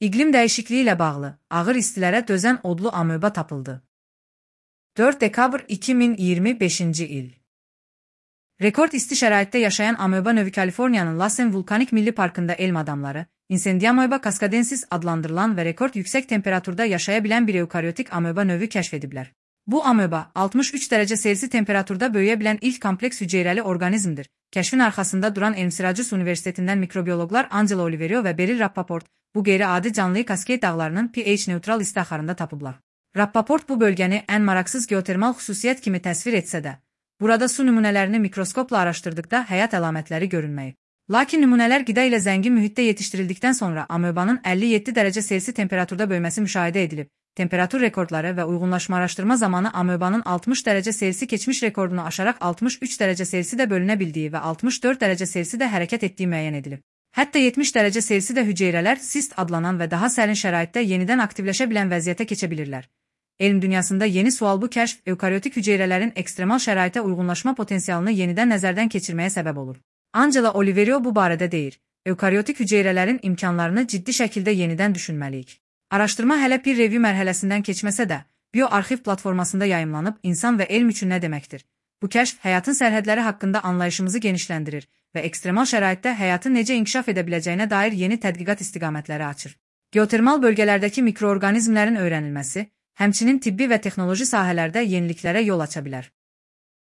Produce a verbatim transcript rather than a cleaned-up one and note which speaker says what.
Speaker 1: İqlim dəyişikliyi ilə bağlı ağır istilərə dözən odlu amöba tapıldı. dörd dekabr iki min iyirmi beşinci il. Rekord isti şəraitdə yaşayan amöba növü Kaliforniyanın Lassen Vulkanik Milli Parkında elm adamları, Incendiamoeba cascadensis adlandırılan və rekord yüksək temperaturda yaşaya bilən bir eukaryotik amöba növü kəşf ediblər. Bu amöba altmış üç dərəcə Selsi temperaturda böyüyə bilən ilk kompleks hüceyrəli orqanizmdir. Kəşfin arxasında duran Elm Syracuse Universitetindən mikrobiyoloqlar Angela Oliverio və Beryl Rappaport bu qeyri-adi canlıyı Kaskade dağlarının pH-neutral isti axarında tapıblar. Rappaport bu bölgəni ən maraqsız geotermal xüsusiyyət kimi təsvir etsə də, burada su nümunələrini mikroskopla araşdırdıqda həyat əlamətləri görünməyib. Lakin nümunələr qida ilə zəngin mühitdə yetişdirildikdən sonra amöbanın əlli yeddi dərəcə Selsi temperaturda böyüməsi müşahidə edilib. Temperatur rekordları və uyğunlaşma araşdırma zamanı amöbanın altmış dərəcə Selsi keçmiş rekordunu aşaraq altmış üç dərəcə Selsi də bölünə bildiyi və altmış dörd dərəcə Selsi də hərəkət etdiyi müəyyən edilib. Hətta yetmiş dərəcə Selsi də hüceyrələr sist adlanan və daha sərin şəraitdə yenidən aktivləşə bilən vəziyyətə keçə bilirlər. Elm dünyasında yeni sual bu kəşf, eukaryotik hüceyrələrin ekstremal şəraitə uyğunlaşma potensialını yenidən nəzərdən keçirməyə səbəb olur. Angela Oliverio bu barədə deyir, eukaryotik hüceyrələrin imkanlarını ciddi şəkildə yenidən düşünməliyik. Araşdırma hələ peer review mərhələsindən keçməsə də, bioarxiv platformasında yayımlanıb insan və elm üçün nə deməkdir? Bu kəşf həyatın sərhədləri haqqında anlayışımızı genişləndirir və ekstremal şəraitdə həyatın necə inkişaf edə biləcəyinə dair yeni tədqiqat istiqamətləri açır. Geotermal bölgələrdəki mikroorqanizmlərin öyrənilməsi, həmçinin tibbi və texnoloji sahələrdə yeniliklərə yol aça bilər.